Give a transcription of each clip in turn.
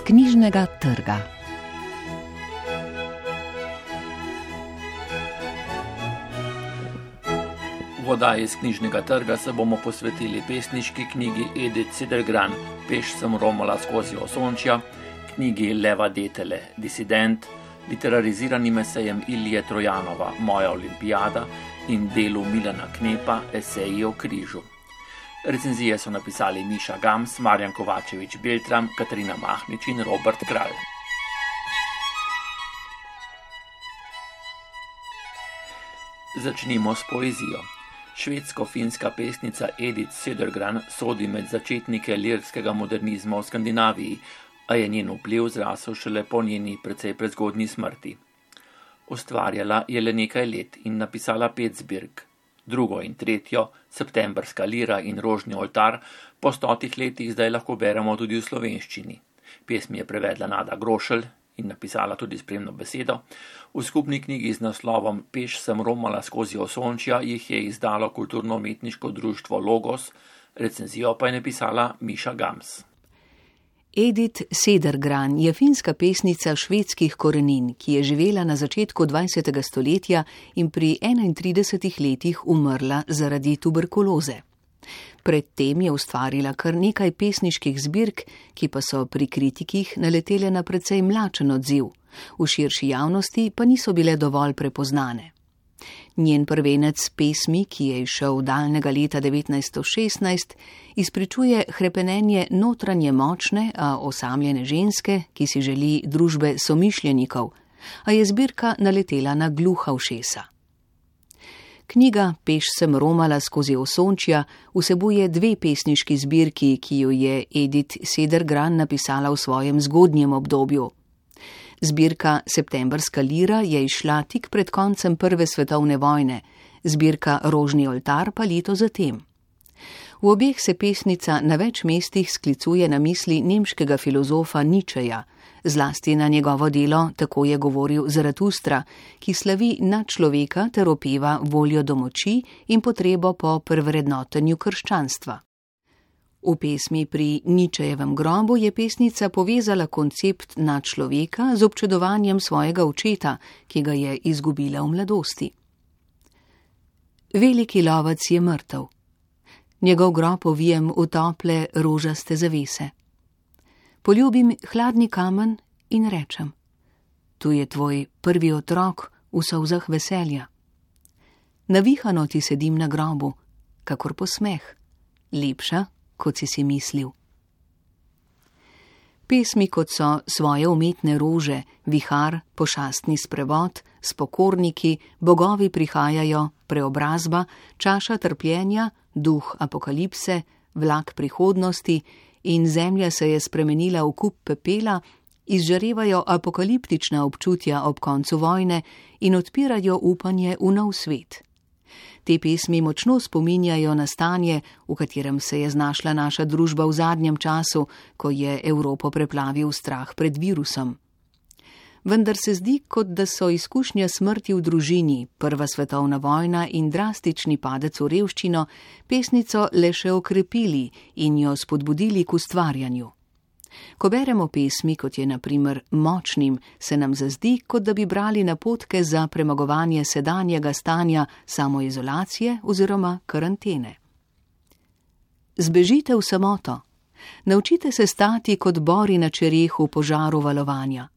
knjižnega trga. V oddaji iz knjižnega trga se bomo posvetili pesniški knjigi Edith Cedergran Peš sem romala skozi osončja, knjigi Leva Detele Disident, literariziranim esejem Ilije Trojanova Moja olimpijada in delu Milana Knepa Eseji o križu. Recenzije so napisali Miša Gams, Marjan Kovačevič-Beltram, Katarina Mahnič in Robert Kralj. Začnimo s poezijo. Švedsko-finska pesnica Edith Cedergran sodi med začetnike lirskega modernizma v Skandinaviji, a je njen vpliv zrasel šele po njeni precej prezgodnji smrti. Ustvarjala je le nekaj let in napisala 5 zbirk. Drugo in tretjo, Septembrska lira in Rožni oltar, po 100 letih zdaj lahko beremo tudi v slovenščini. Pesmi je prevedla Nada Grošelj in napisala tudi spremno besedo. V skupni knjigi z naslovom Peš sem romala skozi osončja jih je izdalo kulturno-umetniško društvo Logos, recenzijo pa je napisala Miša Gams. Edith Cedergran je finska pesnica švedskih korenin, ki je živela na začetku 20. stoletja in pri 31 letih umrla zaradi tuberkuloze. Predtem je ustvarila kar nekaj pesniških zbirk, ki pa so pri kritikih naletele na precej mlačen odziv, v širši javnosti pa niso bile dovolj prepoznane. Njen prvenec pesmi, ki je izšel daljnega leta 1916, izpričuje hrepenenje notranje močne, a osamljene ženske, ki si želi družbe somišljenikov, a je zbirka naletela na gluha ušesa. Knjiga Peš sem romala skozi osončja vsebuje 2 pesniški zbirki, ki jo je Edith Cedergran napisala v svojem zgodnjem obdobju. Zbirka Septembrska lira je izšla tik pred koncem Prve svetovne vojne, zbirka Rožni oltar pa leto zatem. V obeh se pesnica na več mestih sklicuje na misli nemškega filozofa Nietzscheja, zlasti na njegovo delo Tako je govoril Zaratustra, ki slavi nadčloveka ter opeva voljo do moči in potrebo po prevrednotenju krščanstva. V pesmi Pri Nietzschejevem grobu je pesnica povezala koncept nadčloveka z občudovanjem svojega očeta, ki ga je izgubila v mladosti. Veliki lovec je mrtev. Njegov grob ovijem v tople rožaste zavese. Poljubim hladni kamen in rečem: tu je tvoj prvi otrok v solzah veselja. Navihano ti sedim na grobu, kakor posmeh, lepša, kot si mislil. Pesmi, kot so Svoje umetne rože, Vihar, Pošastni sprevod, Spokorniki, Bogovi prihajajo, Preobrazba, Čaša trpljenja, Duh apokalipse, Vlak prihodnosti in Zemlja se je spremenila v kup pepela, izžarevajo apokaliptična občutja ob koncu vojne in odpirajo upanje v nov svet. Te pesmi močno spominjajo na stanje, v katerem se je znašla naša družba v zadnjem času, ko je Evropo preplavil strah pred virusom. Vendar se zdi, kot da so izkušnja smrti v družini, Prva svetovna vojna in drastični padec v revščino pesnico le še okrepili in jo spodbudili k ustvarjanju. Ko beremo pesmi, kot je na primer Močnim, se nam zazdi, kot da bi brali napotke za premagovanje sedanjega stanja samoizolacije oziroma karantene. Zbežite v samoto. Naučite se stati kot bori na čerehu požaru valovanja.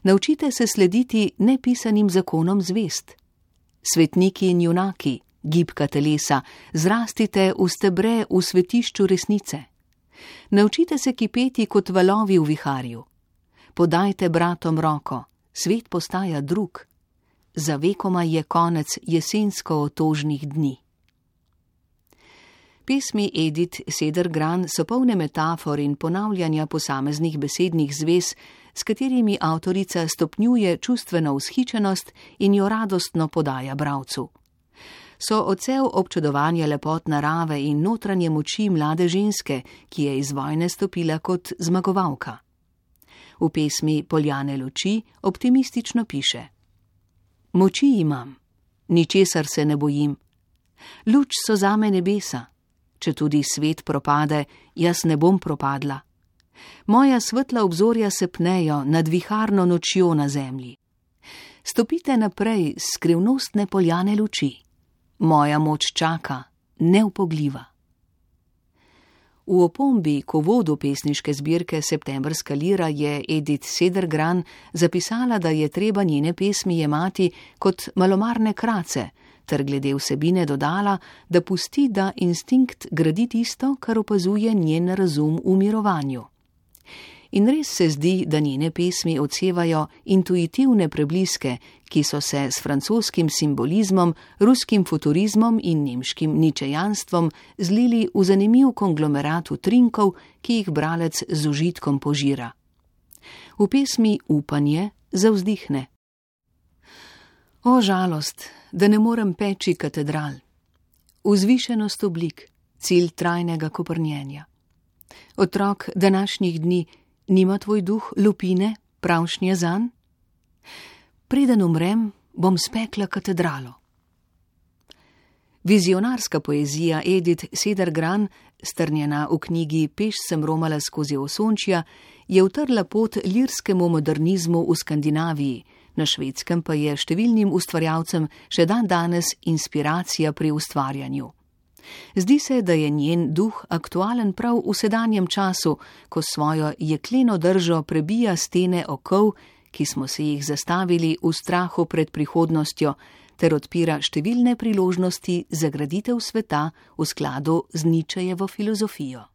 Naučite se slediti nepisanim zakonom zvest. Svetniki in junaki, gibka telesa, zrastite v stebre v svetišču resnice. Naučite se kipeti kot valovi v viharju. Podajte bratom roko, svet postaja drug. Za vekoma je konec jesensko otožnih dni. Pesmi Edith Cedergran so polne metafor in ponavljanja posameznih besednih zvez, s katerimi avtorica stopnjuje čustveno vzhičenost in jo radostno podaja bralcu. So odsev občudovanja lepot narave in notranje moči mlade ženske, ki je iz vojne stopila kot zmagovalka. V pesmi Poljane luči optimistično piše: Moči imam, ničesar se ne bojim. Luč so zame nebesa, če tudi svet propade, jaz ne bom propadla. Moja svetla obzorja se pnejo nad viharno nočjo na zemlji. Stopite naprej s skrivnostne poljane luči. Moja moč čaka, neupogljiva. V opombi k uvodu pesniške zbirke Septembrska lira je Edith Cedergran zapisala, da je treba njene pesmi jemati kot malomarne krace, ter glede vsebine dodala, da pusti, da instinkt gradi tisto, kar opazuje njen razum v mirovanju. In res se zdi, da njene pesmi odsevajo intuitivne prebliske, ki so se s francoskim simbolizmom, ruskim futurizmom in nemškim ničejanstvom zlili v zanimiv konglomerat utrinkov, ki jih bralec z užitkom požira. V pesmi Upanje zavzdihne. O žalost, da ne morem peči katedral. Vzvišenost oblik, cilj trajnega koprnjenja. Otrok današnjih dni, nima tvoj duh lupine, pravšnje zanj? Preden umrem, bom spekla katedralo. Vizionarska poezija Edith Cedergran, strnjena v knjigi Peš sem romala skozi osončja, je utrla pot lirskemu modernizmu v Skandinaviji, na Švedskem pa je številnim ustvarjalcem še danes inspiracija pri ustvarjanju. Zdi se, da je njen duh aktualen prav v sedanjem času, ko svojo jekleno držo prebija stene okov, ki smo se jih zastavili v strahu pred prihodnostjo, ter odpira številne priložnosti za graditev sveta v skladu z Nietzschejevo filozofijo.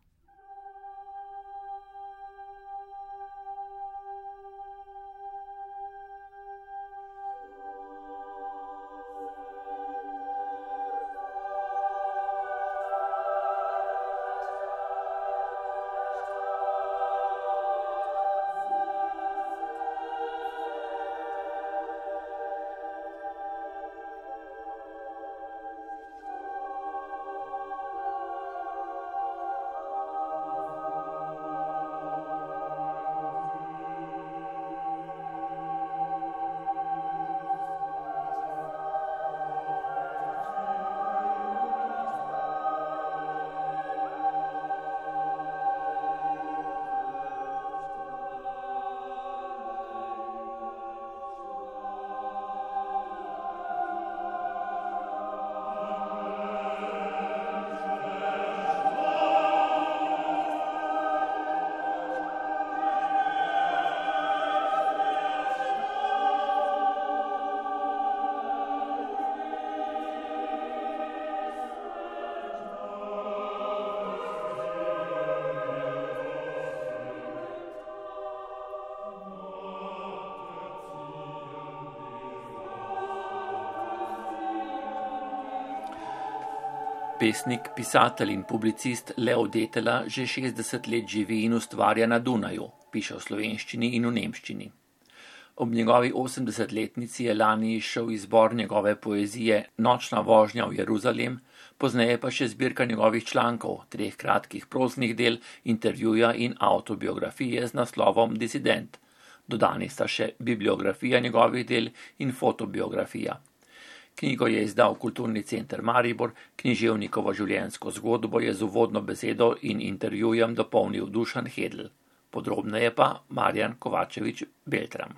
Pesnik, pisatelj in publicist Leo Detela že 60 let živi in ustvarja na Dunaju, piše v slovenščini in v nemščini. Ob njegovi 80-letnici je lani izšel izbor njegove poezije Nočna vožnja v Jeruzalem, pozneje pa še zbirka njegovih člankov, 3 kratkih proznih del, intervjuja in avtobiografije z naslovom Disident. Dodani sta še bibliografija njegovih del in fotobiografija. Knjigo je izdal Kulturni center Maribor, književnikovo življenjsko zgodbo je z uvodno besedo in intervjujem dopolnil Dušan Hedl. Podrobneje pa Marjan Kovačevič Beltram.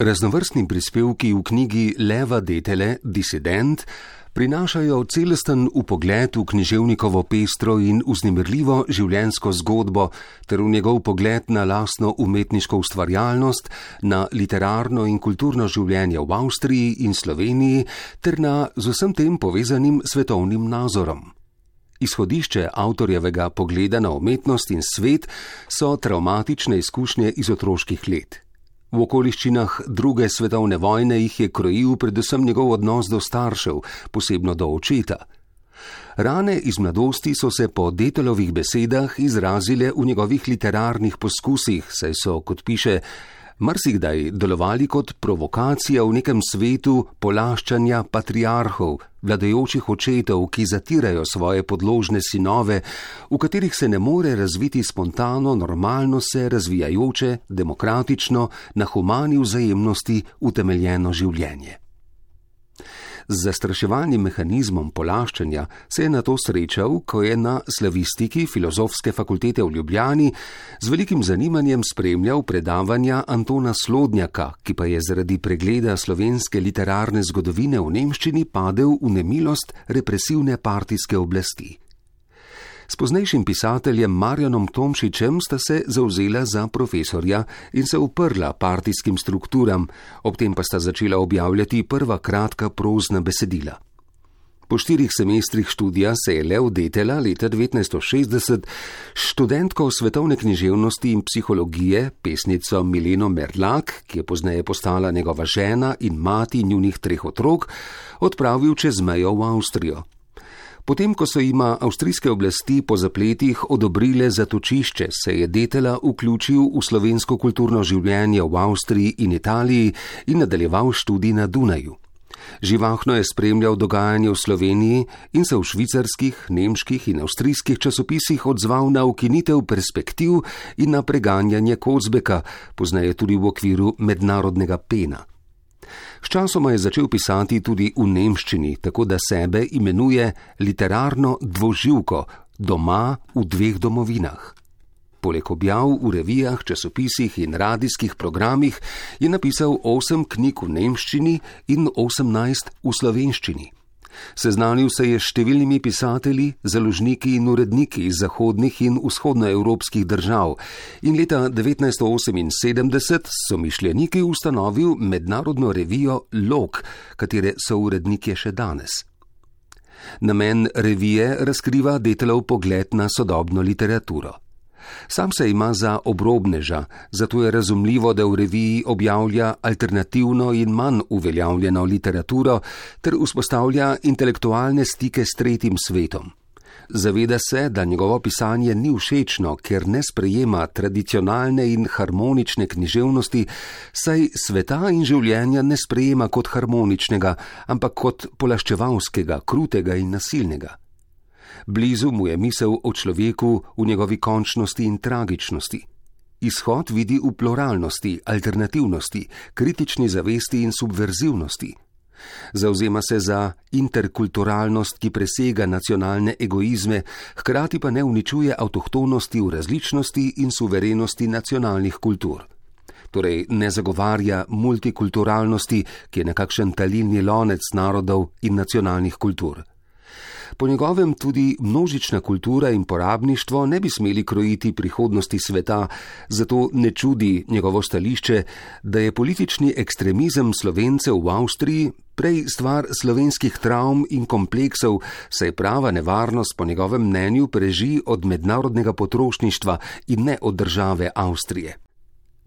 Raznovrstni prispevki v knjigi Leva Detele Disident prinašajo celosten vpogled v književnikovo pestro in vznemirljivo življenjsko zgodbo ter v njegov pogled na lastno umetniško ustvarjalnost, na literarno in kulturno življenje v Avstriji in Sloveniji ter na z vsem tem povezanim svetovnim nazorom. Izhodišče avtorjevega pogleda na umetnost in svet so travmatične izkušnje iz otroških let. V okoliščinah 2. svetovne vojne jih je krojil predvsem njegov odnos do staršev, posebno do očeta. Rane iz mladosti so se po Detelovih besedah izrazile v njegovih literarnih poskusih, saj so, kot piše, marsikdaj delovali kot provokacija v nekem svetu polaščanja patriarhov, vladajočih očetov, ki zatirajo svoje podložne sinove, v katerih se ne more razviti spontano, normalno se razvijajoče, demokratično, na humani vzajemnosti utemeljeno življenje. Z zastraševalnim mehanizmom polaščanja se je nato srečal, ko je na slavistiki Filozofske fakultete v Ljubljani z velikim zanimanjem spremljal predavanja Antona Slodnjaka, ki pa je zaradi pregleda slovenske literarne zgodovine v nemščini padel v nemilost represivne partijske oblasti. S poznejšim pisateljem Marjanom Tomšičem sta se zavzela za profesorja in se uprla partijskim strukturam, ob tem pa sta začela objavljati prva kratka prozna besedila. Po 4 semestrih študija se je Lev Detela leta 1960 študentko svetovne književnosti in psihologije, pesnico Mileno Merlak, ki je pozneje postala njegova žena in mati njunih 3 otrok, odpravil čez mejo v Avstrijo. Potem, ko so jima avstrijske oblasti po zapletih odobrile zatočišče, se je Detela vključil v slovensko kulturno življenje v Avstriji in Italiji in nadaljeval študij na Dunaju. Živahno je spremljal dogajanje v Sloveniji in se v švicarskih, nemških in avstrijskih časopisih odzval na ukinitev Perspektiv in na preganjanje Kozbeka, pozneje tudi v okviru mednarodnega Pena. Sčasoma je začel pisati tudi v nemščini, tako da sebe imenuje literarno dvoživko, doma v 2 domovinah. Poleg objav v revijah, časopisih in radijskih programih je napisal 8 knjig v nemščini in 18 v slovenščini. Seznanil se je s številnimi pisatelji, založniki in uredniki iz zahodnih in vzhodnoevropskih držav in leta 1978 so mišljeniki ustanovil mednarodno revijo Log, katere so uredniki še danes. Namen revije razkriva Detelov pogled na sodobno literaturo. Sam se ima za obrobneža, zato je razumljivo, da v reviji objavlja alternativno in manj uveljavljeno literaturo ter vzpostavlja intelektualne stike s tretjim svetom. Zaveda se, da njegovo pisanje ni všečno, ker ne sprejema tradicionalne in harmonične književnosti, saj sveta in življenja ne sprejema kot harmoničnega, ampak kot polaščevalskega, krutega in nasilnega. Blizu mu je misel o človeku v njegovi končnosti in tragičnosti. Izhod vidi v pluralnosti, alternativnosti, kritični zavesti in subverzivnosti. Zavzema se za interkulturalnost, ki presega nacionalne egoizme, hkrati pa ne uničuje avtohtonosti v različnosti in suverenosti nacionalnih kultur. Torej ne zagovarja multikulturalnosti, ki je nekakšen talilni lonec narodov in nacionalnih kultur. Po njegovem tudi množična kultura in porabništvo ne bi smeli krojiti prihodnosti sveta, zato ne čudi njegovo stališče, da je politični ekstremizem Slovencev v Avstriji prej stvar slovenskih travm in kompleksov, saj prava nevarnost po njegovem mnenju preži od mednarodnega potrošništva in ne od države Avstrije.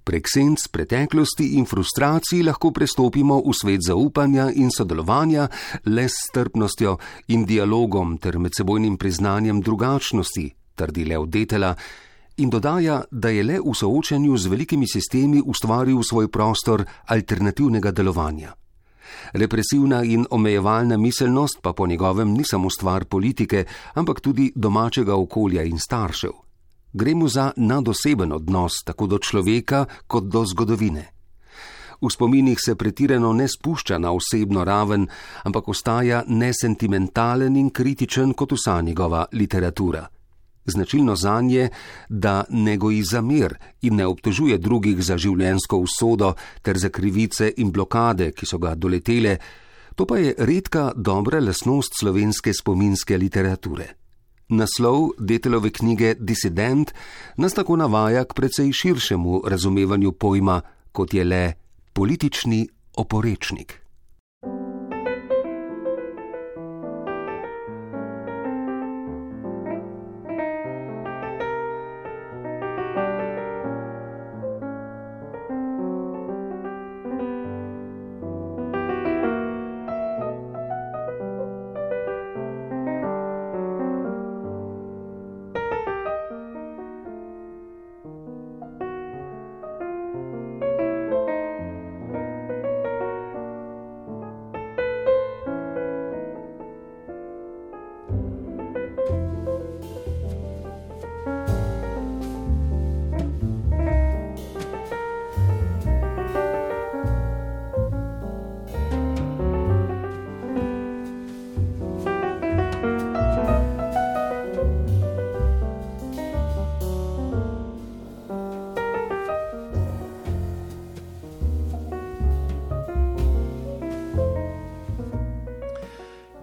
Prek senc preteklosti in frustracij lahko prestopimo v svet zaupanja in sodelovanja le s strpnostjo in dialogom ter medsebojnim priznanjem drugačnosti, trdi Lev Detela, in dodaja, da je le v soočanju z velikimi sistemi ustvaril svoj prostor alternativnega delovanja. Represivna in omejevalna miselnost pa po njegovem ni samo stvar politike, ampak tudi domačega okolja in staršev. Gre mu za nadoseben odnos tako do človeka kot do zgodovine. V spominih se pretirano ne spušča na osebno raven, ampak ostaja nesentimentalen in kritičen kot vsa njegova literatura. Značilno zanje, da ne goji za mir in ne obtožuje drugih za življenjsko usodo ter za krivice in blokade, ki so ga doletele, to pa je redka dobra lastnost slovenske spominske literature. Naslov Detelove knjige Disident nas tako navaja k precej širšemu razumevanju pojma, kot je le politični oporečnik.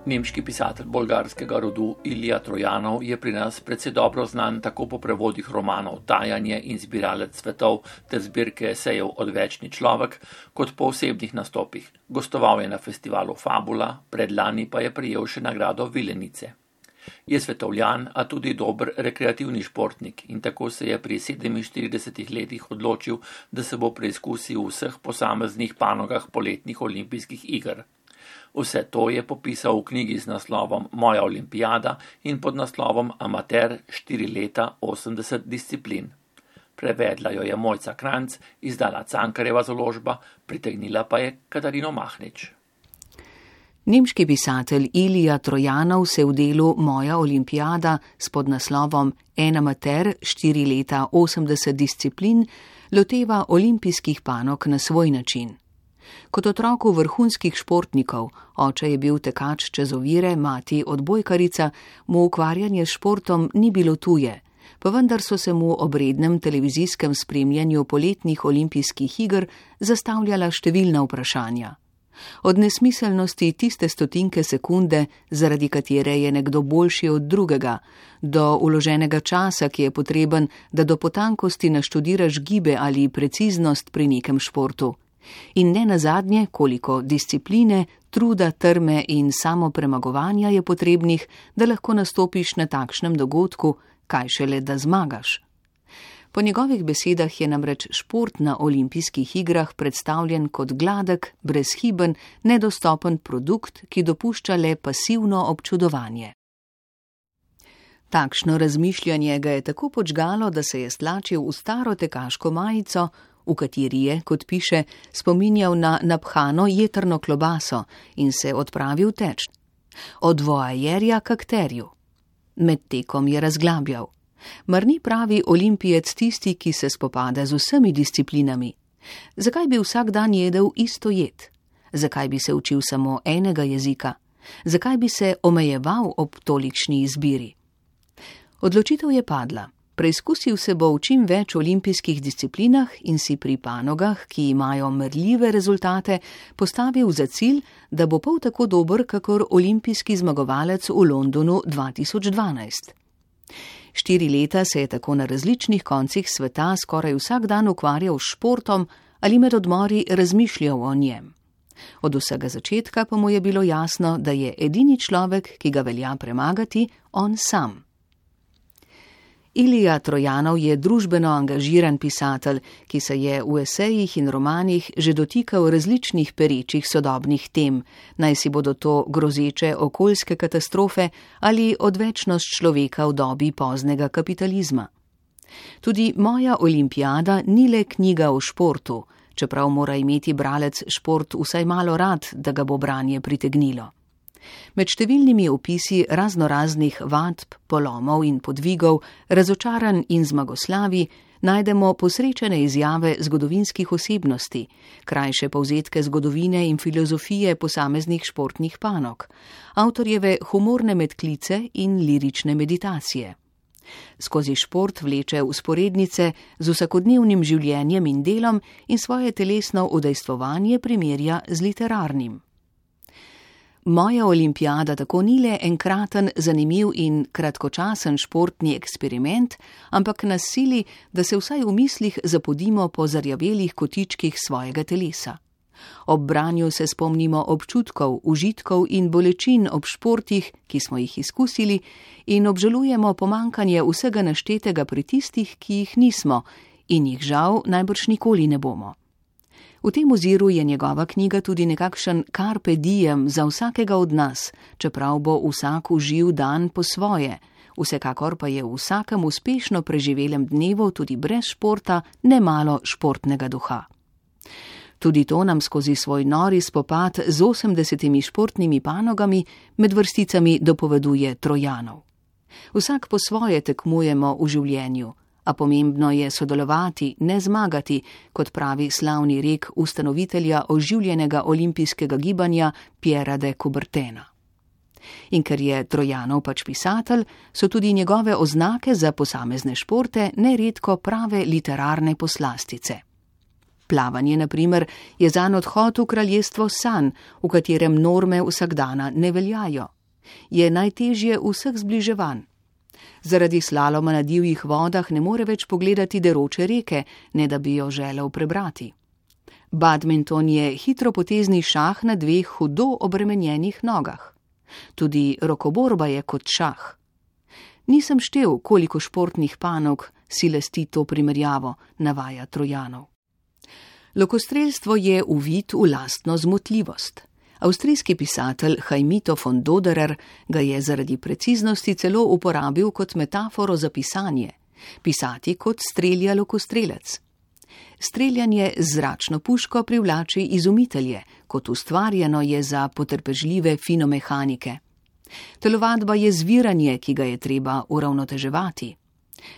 Nemški pisatelj bolgarskega rodu Ilija Trojanov je pri nas precej dobro znan tako po prevodih romanov Tajanje in Zbiralec svetov ter zbirke esejev Odvečni človek, kot po osebnih nastopih. Gostoval je na festivalu Fabula, predlani pa je prejel še nagrado Vilenice. Je svetovljan, a tudi dober rekreativni športnik in tako se je pri 47 letih odločil, da se bo preizkusil v vseh posameznih panogah poletnih olimpijskih iger. Vse to je popisal v knjigi z naslovom Moja olimpijada in pod naslovom Amater 4 leta 80 disciplin. Prevedla jo je Mojca Kranjc, izdala Cankarjeva založba, pritegnila pa je Katarino Mahnič. Nemški pisatelj Ilija Trojanov se v delu Moja olimpijada s podnaslovom En amater 4 leta 80 disciplin loteva olimpijskih panog na svoj način. Kot otroku vrhunskih športnikov, oče je bil tekač čez ovire, mati odbojkarica, mu ukvarjanje s športom ni bilo tuje, pa vendar so se mu ob rednem televizijskem spremljanju poletnih olimpijskih iger zastavljala številna vprašanja. Od nesmiselnosti tiste stotinke sekunde, zaradi katere je nekdo boljši od drugega, do vloženega časa, ki je potreben, da do potankosti naštudiraš gibe ali preciznost pri nekem športu. In ne nazadnje, koliko discipline, truda, trme in samopremagovanja je potrebnih, da lahko nastopiš na takšnem dogodku, kaj šele da zmagaš. Po njegovih besedah je namreč šport na olimpijskih igrah predstavljen kot gladek, brezhiben, nedostopen produkt, ki dopušča le pasivno občudovanje. Takšno razmišljanje ga je tako počgalo, da se je stlačil v staro tekaško majico, v kateri je, kot piše, spominjal na naphano jetrno klobaso in se odpravil teč. Od voajerja k akterju. Med tekom je razglabljal. Mar ni pravi olimpijec tisti, ki se spopada z vsemi disciplinami? Zakaj bi vsak dan jedel isto jed? Zakaj bi se učil samo enega jezika? Zakaj bi se omejeval ob tolikšni izbiri? Odločitev je padla. Preizkusil se bo v čim več olimpijskih disciplinah in si pri panogah, ki imajo merljive rezultate, postavil za cilj, da bo pol tako dober, kakor olimpijski zmagovalec v Londonu 2012. 4 leta se je tako na različnih koncih sveta skoraj vsak dan ukvarjal s športom ali med odmori razmišljal o njem. Od vsega začetka pa mu je bilo jasno, da je edini človek, ki ga velja premagati, on sam. Ilija Trojanov je družbeno angažiran pisatelj, ki se je v esejih in romanih že dotikal različnih perečih sodobnih tem, naj si bodo to grozeče okoljske katastrofe ali odvečnost človeka v dobi poznega kapitalizma. Tudi Moja olimpijada ni le knjiga o športu, čeprav mora imeti bralec šport vsaj malo rad, da ga bo branje pritegnilo. Med številnimi opisi raznoraznih vadb, polomov in podvigov, razočaranj in zmagoslavi najdemo posrečene izjave zgodovinskih osebnosti, krajše povzetke zgodovine in filozofije posameznih športnih panog, avtorjeve humorne medklice in lirične meditacije. Skozi šport vleče vzporednice z vsakodnevnim življenjem in delom in svoje telesno udejstvovanje primerja z literarnim. Moja olimpijada tako ni le enkraten, zanimiv in kratkočasen športni eksperiment, ampak nas sili, da se vsaj v mislih zapodimo po zarjavelih kotičkih svojega telesa. Ob branju se spomnimo občutkov, užitkov in bolečin ob športih, ki smo jih izkusili, in obžalujemo pomankanje vsega naštetega pri tistih, ki jih nismo in jih žal najbrž nikoli ne bomo. V tem oziru je njegova knjiga tudi nekakšen carpe diem za vsakega od nas, čeprav bo vsak uživ dan po svoje. Vsekakor pa je v vsakem uspešno preživelem dnevu tudi brez športa nemalo športnega duha. Tudi to nam skozi svoj nori spopad z 80 športnimi panogami med vrsticami dopoveduje Trojanov. Vsak po svoje tekmujemo v življenju, a pomembno je sodelovati, ne zmagati, kot pravi slavni rek ustanovitelja oživljenega olimpijskega gibanja Pierra de Coubertina. In ker je Trojanov pač pisatelj, so tudi njegove oznake za posamezne športe neredko prave literarne poslastice. Plavanje, na primer, je zanj odhod v kraljestvo sanj, v katerem norme vsakdana ne veljajo. Je najtežje vseh zbliževanj. Zaradi slaloma na divjih vodah ne more več pogledati deroče reke, ne da bi jo želel prebrati. Badminton je hitropotezni šah na dveh hudo obremenjenih nogah. Tudi rokoborba je kot šah. Nisem štel, koliko športnih panog si lasti to primerjavo, navaja Trojanov. Lokostrelstvo je uvid v lastno zmotljivost. Avstrijski pisatelj Heimito von Doderer ga je zaradi preciznosti celo uporabil kot metaforo za pisanje, pisati kot strelja lokostrelec. Streljanje z zračno puško privlači izumitelje, kot ustvarjeno je za potrpežljive finomehanike. Telovadba je zviranje, ki ga je treba uravnoteževati.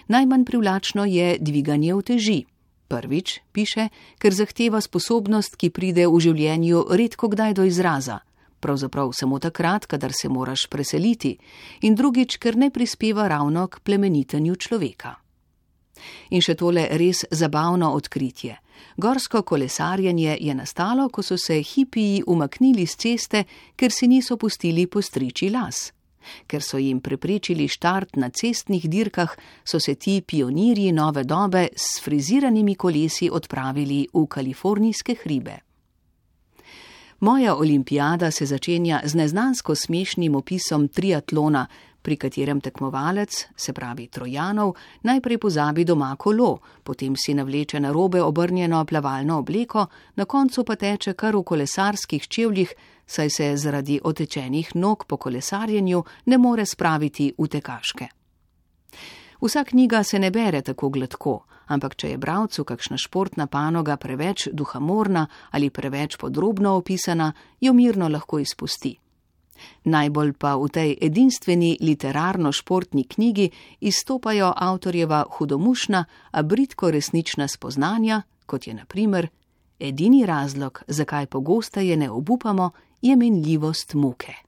Najmanj privlačno je dviganje uteži. Prvič, piše, ker zahteva sposobnost, ki pride v življenju redko kdaj do izraza, pravzaprav samo takrat, kadar se moraš preseliti, in drugič, ker ne prispeva ravno k plemenitenju človeka. In še tole res zabavno odkritje. Gorsko kolesarjenje je nastalo, ko so se hipiji umaknili z ceste, ker si niso pustili postriči las. Ker so jim preprečili štart na cestnih dirkah, so se ti pionirji nove dobe s friziranimi kolesi odpravili v kalifornijske hribe. Moja olimpijada se začenja z neznansko smešnim opisom triatlona, pri katerem tekmovalec, se pravi Trojanov, najprej pozabi doma kolo, potem si navleče narobe obrnjeno plavalno obleko, na koncu pa teče kar v kolesarskih čevljih, saj se zaradi otečenih nog po kolesarjenju ne more spraviti v tekaške. Vsa knjiga se ne bere tako gladko, ampak če je bralcu kakšna športna panoga preveč duhamorna ali preveč podrobno opisana, jo mirno lahko izpusti. Najbolj pa v tej edinstveni literarno-športni knjigi izstopajo avtorjeva hudomušna, a bridko resnična spoznanja, kot je na primer: edini razlog, zakaj pogosteje ne obupamo, je minljivost muke.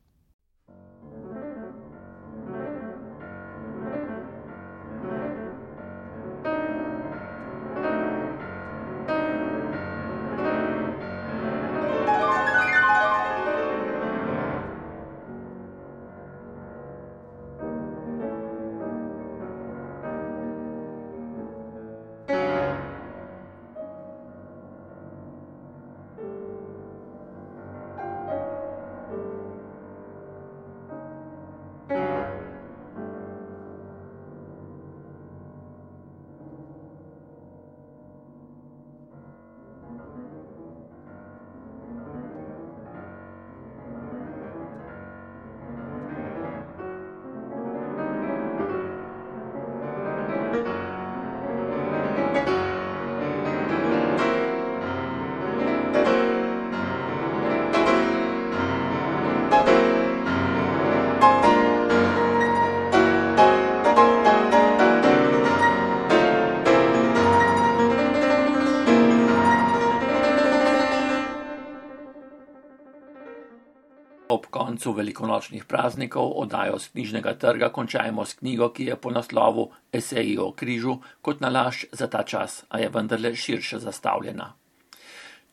Ob koncu velikonočnih praznikov oddajo z knjižnega trga končajmo s knjigo, ki je po naslovu Eseji o križu, kot nalašč za ta čas, a je vendarle širše zastavljena.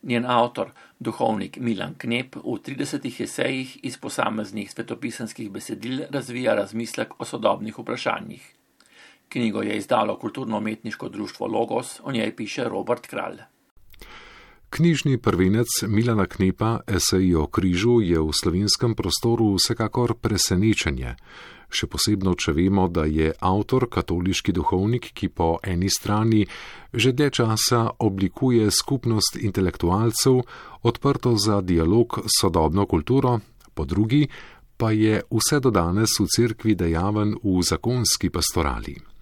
Njen avtor, duhovnik Milan Knep, v 30 esejih iz posameznih svetopisanskih besedil razvija razmislek o sodobnih vprašanjih. Knjigo je izdalo kulturno-umetniško društvo Logos, o njej piše Robert Kralj. Knjižni prvenec Milana Knepa Eseji o križu je v slovenskem prostoru vsekakor presenečenje, še posebno, če vemo, da je avtor katoliški duhovnik, ki po eni strani že dlje časa oblikuje skupnost intelektualcev, odprto za dialog s sodobno kulturo, po drugi pa je vse do danes v cerkvi dejaven v zakonski pastorali.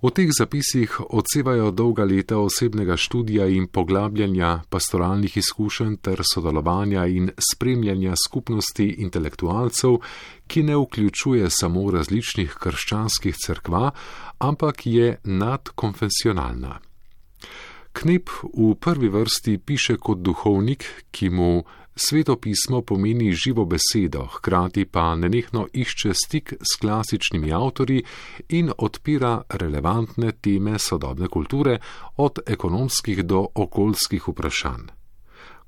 V teh zapisih odsevajo dolga leta osebnega študija in poglabljanja pastoralnih izkušenj ter sodelovanja in spremljanja skupnosti intelektualcev, ki ne vključuje samo različnih krščanskih cerkva, ampak je nadkonfesionalna. Knep v prvi vrsti piše kot duhovnik, ki mu Sveto pismo pomeni živo besedo, hkrati pa nenehno išče stik s klasičnimi avtorji in odpira relevantne teme sodobne kulture, od ekonomskih do okoljskih vprašanj.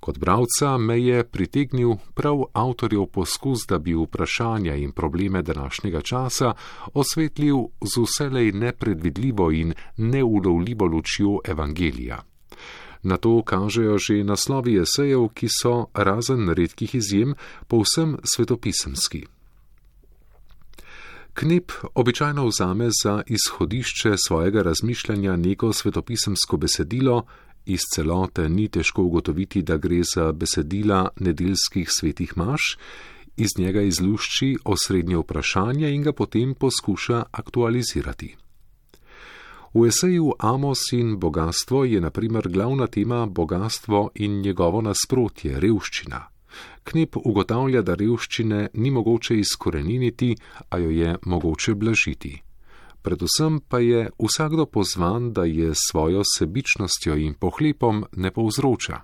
Kot bralca me je pritegnil prav avtorjev poskus, da bi vprašanja in probleme današnjega časa osvetlil z vselej nepredvidljivo in neulovljivo lučjo evangelija. Na to kažejo že naslovi esejev, ki so, razen redkih izjem, povsem svetopisemski. Knep običajno vzame za izhodišče svojega razmišljanja neko svetopisemsko besedilo. Iz celote ni težko ugotoviti, da gre za besedila nedeljskih svetih maš, iz njega izlušči osrednje vprašanje in ga potem poskuša aktualizirati. V eseju Amos in bogastvo je na primer glavna tema bogastvo in njegovo nasprotje, revščina. Knep ugotavlja, da revščine ni mogoče izkoreniniti, a jo je mogoče blažiti. Predvsem pa je vsakdo pozvan, da je svojo sebičnostjo in pohlepom ne povzroča.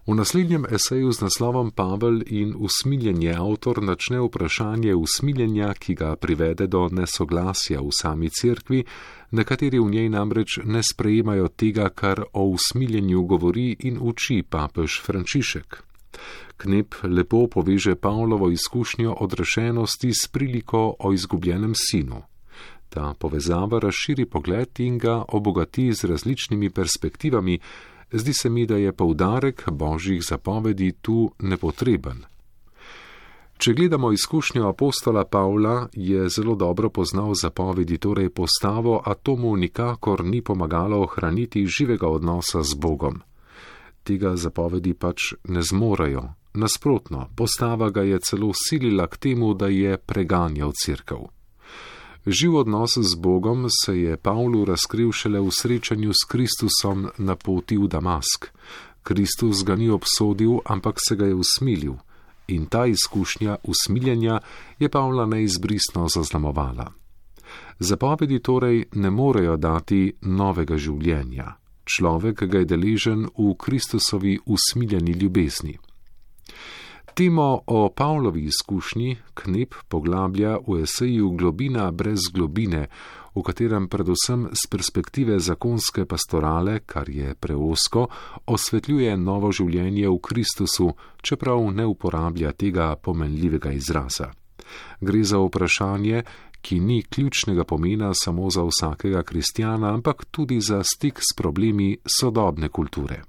V naslednjem eseju z naslovom Pavel in usmiljenje avtor načne vprašanje usmiljenja, ki ga privede do nesoglasja v sami cerkvi, nekateri v njej namreč ne sprejemajo tega, kar o usmiljenju govori in uči papež Frančišek. Knep lepo poveže Pavlovo izkušnjo odrešenosti s priliko o izgubljenem sinu. Ta povezava razširi pogled in ga obogati z različnimi perspektivami. Zdi se mi, da je poudarek božjih zapovedi tu nepotreben. Če gledamo izkušnjo apostola Pavla, je zelo dobro poznal zapovedi, torej postavo, a to mu nikakor ni pomagalo ohraniti živega odnosa z Bogom. Tega zapovedi pač ne zmorejo. Nasprotno, postava ga je celo silila k temu, da je preganjal cerkev. Živ odnos z Bogom se je Pavlu razkril šele v srečanju s Kristusom na poti v Damask. Kristus ga ni obsodil, ampak se ga je usmilil. In ta izkušnja usmiljenja je Pavla neizbrisno zaznamovala. Zapovedi torej ne morejo dati novega življenja. Človek ga je deležen v Kristusovi usmiljeni ljubezni. Temo o Pavlovi izkušnji Knep poglablja v eseju Globina brez globine, v katerem predvsem z perspektive zakonske pastorale, kar je preosko, osvetljuje novo življenje v Kristusu, čeprav ne uporablja tega pomenljivega izraza. Gre za vprašanje, ki ni ključnega pomena samo za vsakega kristjana, ampak tudi za stik s problemi sodobne kulture.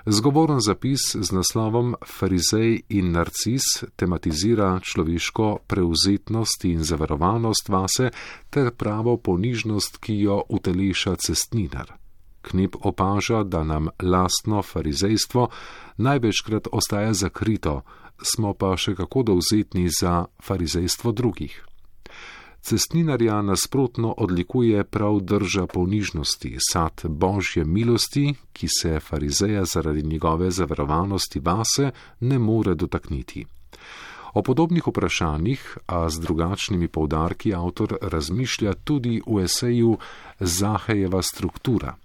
Zgovoren zapis z naslovom Farizej in Narcis tematizira človeško prevzetnost in zavarovanost vase ter pravo ponižnost, ki jo uteleša cestninar. Knep opaža, da nam lastno farizejstvo največkrat ostaja zakrito, smo pa še kako dovzetni za farizejstvo drugih. Cestninarja nasprotno odlikuje prav drža ponižnosti, sad božje milosti, ki se farizeja zaradi njegove zavarovanosti vase ne more dotakniti. O podobnih vprašanjih, a z drugačnimi poudarki, avtor razmišlja tudi v eseju Zahejeva struktura.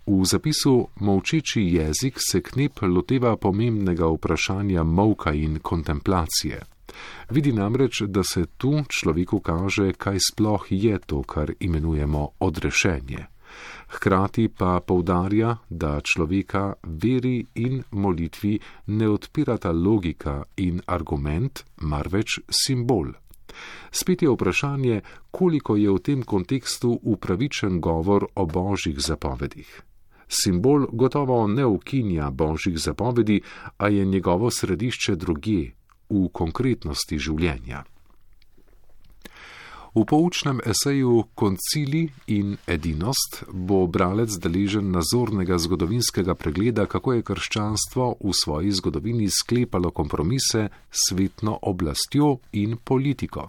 V zapisu Molčeči jezik se Knep loteva pomembnega vprašanja molka in kontemplacije. Vidi namreč, da se tu človeku kaže, kaj sploh je to, kar imenujemo odrešenje. Hkrati pa poudarja, da človeka veri in molitvi ne odpirata logika in argument, marveč simbol. Spet je vprašanje, koliko je v tem kontekstu upravičen govor o božjih zapovedih. Simbol gotovo ne ukinja božjih zapovedi, a je njegovo središče drugje, v konkretnosti življenja. V poučnem eseju Koncili in edinost bo bralec deležen nazornega zgodovinskega pregleda, kako je krščanstvo v svoji zgodovini sklepalo kompromise s svetno oblastjo in politiko.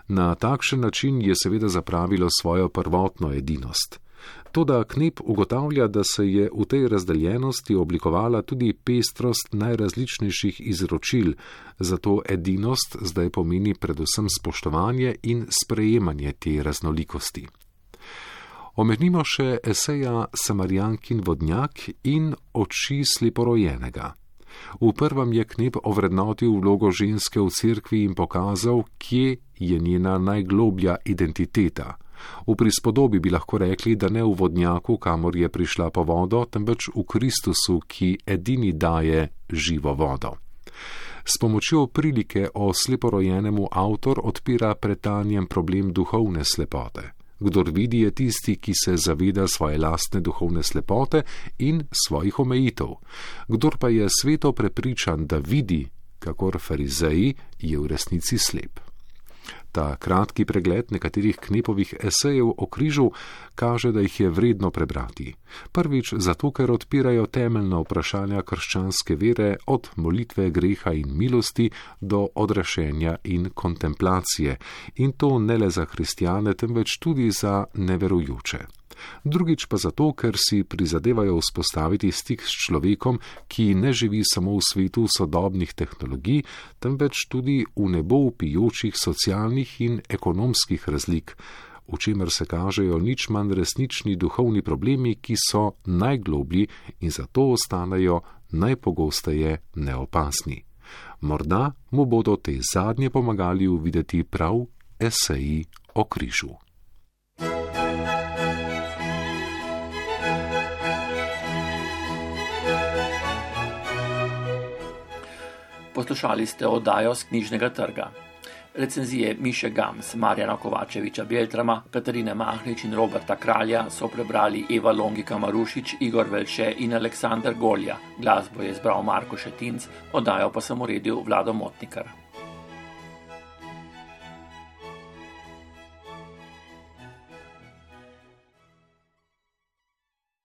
Na takšen način je seveda zapravilo svojo prvotno edinost. Toda Knep ugotavlja, da se je v tej razdeljenosti oblikovala tudi pestrost najrazličnejših izročil, zato edinost zdaj pomeni predvsem spoštovanje in sprejemanje te raznolikosti. Omenimo še eseja Samarijankin vodnjak in oči sleporojenega. V prvem je Knep ovrednotil vlogo ženske v cerkvi in pokazal, kje je njena najgloblja identiteta. V prispodobi bi lahko rekli, da ne v vodnjaku, kamor je prišla po vodo, temveč v Kristusu, ki edini daje živo vodo. S pomočjo prilike o sleporojenemu avtor odpira pred Tanjem problem duhovne slepote. Kdor vidi, je tisti, ki se zaveda svoje lastne duhovne slepote in svojih omejitev. Kdor pa je sveto prepričan, da vidi, kakor farizeji, je v resnici slep. Ta kratki pregled nekaterih Knepovih esejev o križu kaže, da jih je vredno prebrati. Prvič zato, ker odpirajo temeljna vprašanja krščanske vere od molitve, greha in milosti do odrešenja in kontemplacije, in to ne le za kristjane, temveč tudi za neverujoče. Drugič pa zato, ker si prizadevajo vzpostaviti stik s človekom, ki ne živi samo v svetu sodobnih tehnologij, temveč tudi v nebo vpijočih socialnih in ekonomskih razlik, v čemer se kažejo nič manj resnični duhovni problemi, ki so najgloblji in zato ostanejo najpogosteje neopazni. Morda mu bodo te zadnje pomagali uvideti prav eseji o križu. Poslušali ste oddajo z Knjižnega trga. Recenzije Miše Gams, Marjana Kovačeviča Beltrama, Katarine Mahnič in Roberta Kralja so prebrali Eva Longika Marušič, Igor Velše in Aleksandar Golja. Glasbo je izbral Marko Šetinc, oddajo pa sem uredil Vlado Motnikar.